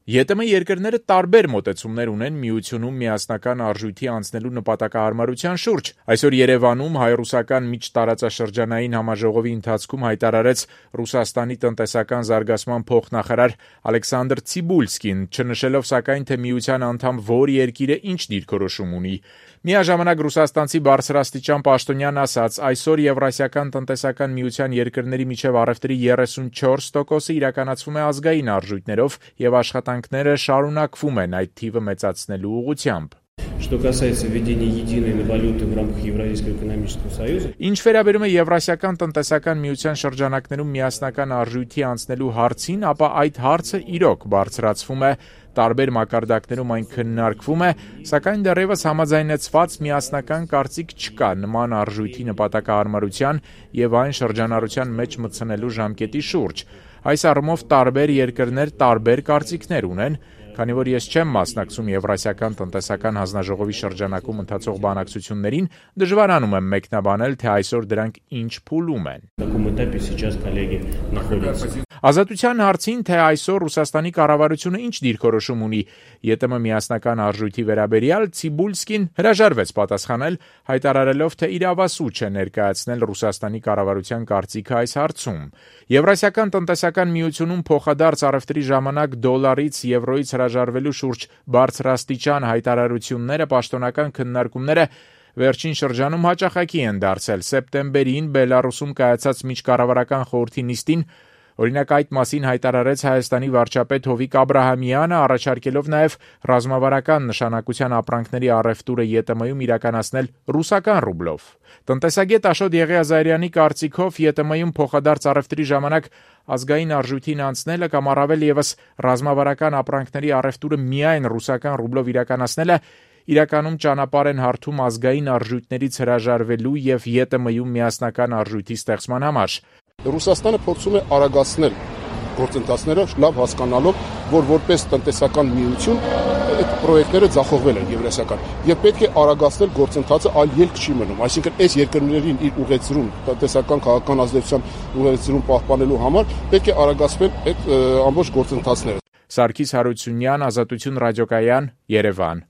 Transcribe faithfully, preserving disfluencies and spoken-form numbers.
ԵՏՄ երկրները տարբեր մոտեցումներ ունեն միությունում միասնական արժույթի անցնելու նպատակահարմարության շուրջ։ Այսօր Երևանում հայ-ռուսական միջտարածաշրջանային համաժողովի ընթացքում հայտարարեց Ռուսաստանի տնտեսական զարգացման փոխնախարար Ալեքսանդր Ցիբուլսկին, չնշելով սակայն, թե միության անդամ որ երկիրը ինչ դիրքորոշում ունի։ Միաժամանակ ռուսաստանցի բարձրաստիճան պաշտոնյան ասաց, այսօր Եվրասիական տնտեսական միության երկրների միջև առևտրի երեսունչորս տոկոսը իրականացվում է ազգային արժույթներով եւ աշխատանքները շարունակվում են այդ թիվը մեծացնելու ուղղությամբ։ Что касается введения единой валюты в рамках Евразийского экономического союза. Ինչ վերաբերում է Եվրասիական տնտեսական միության շրջանակներում միասնական արժույթի անցնելու հարցին, ապա այդ հարցը իրոք բարձրացվում է, տարբեր մակարդակներում այն քննարկվում է, սակայն դեռևս համաձայնեցված միասնական կարծիք չկա նման արժույթի նպատակահարմարության եւ այն շրջանառության մեջ մտցնելու ժամկետի շուրջ։ Այս առումով տարբեր երկրներ տարբեր կարծիքներ ունեն, քանի որ ես չեմ մասնակցում Եվրասիական տնտեսական հանձնաժողովի շրջանակում ընթացող բանակցություններին, դժվարանում եմ մեկնաբանել, թե այսօր դրանք ինչ փուլում են։ Ազատության հարցին, թե այսօր Ռուսաստանի կառավարությունը ինչ դիրքորոշում ունի ԵՏՄ միասնական արժույթի վերաբերյալ, Ցիբուլսկին հրաժարվեց պատասխանել, հայտարարելով, թե իրավասու չէ ներկայացնել Ռուսաստանի կառավարության կարծիքը այս հարցում։ Եվրասիական տնտեսական միությունում փոխադարձ առևտրի ժամանակ դոլարից, եվրոից հրաժարվելու շուրջ բարձրաստիճան հայտարարությունները, պաշտոնական քննարկումները վերջին շրջանում հաճախակի են դարձել։ Սեպտեմբերին Բելարուսում կայացած միջկառավարական խորհրդի նիստին օրինակ այդ մասին հայտարարեց Հայաստանի վարչապետ Հովիկ Աբրահամյանը, առաջարկելով նաև ռազմավարական նշանակության ապրանքների առևտուրը ԵՏՄ-ում իրականացնել ռուսական ռուբլով։ Տնտեսագետ Աշոտ Եղիազարյանի կարծիքով ԵՏՄ-ում փոխադարձ առևտրի ժամանակ ազգային արժույթին անցնելը կամ առավել եւս ռազմավարական ապրանքների առևտուրը միայն ռուսական ռուբլով իրականացնելը իրականում ճանապարհ են հարթում ազգային արժույթներից հրաժարվելու եւ ԵՏՄ-ում միասնական արժույթի ստեղծման համար։ Ռուսաստանը փորձում է արագացնել գործընթացները, լավ հասկանալով, որ որպես տնտեսական միություն այդ պրոյեկտները ձախողվել են եվրասիական եւ պետք է արագացնել գործընթացը, այլ ելք չի մնում, այսինքն այս երկրներին իր ուղեցրում տնտեսական քաղաքական ազդեցության ուղեցրում պահպանելու համար պետք է արագացվել այդ ամբողջ գործընթացները։ Սարգիս Հարությունյան, Ազատություն ռադիոկայան, Երևան։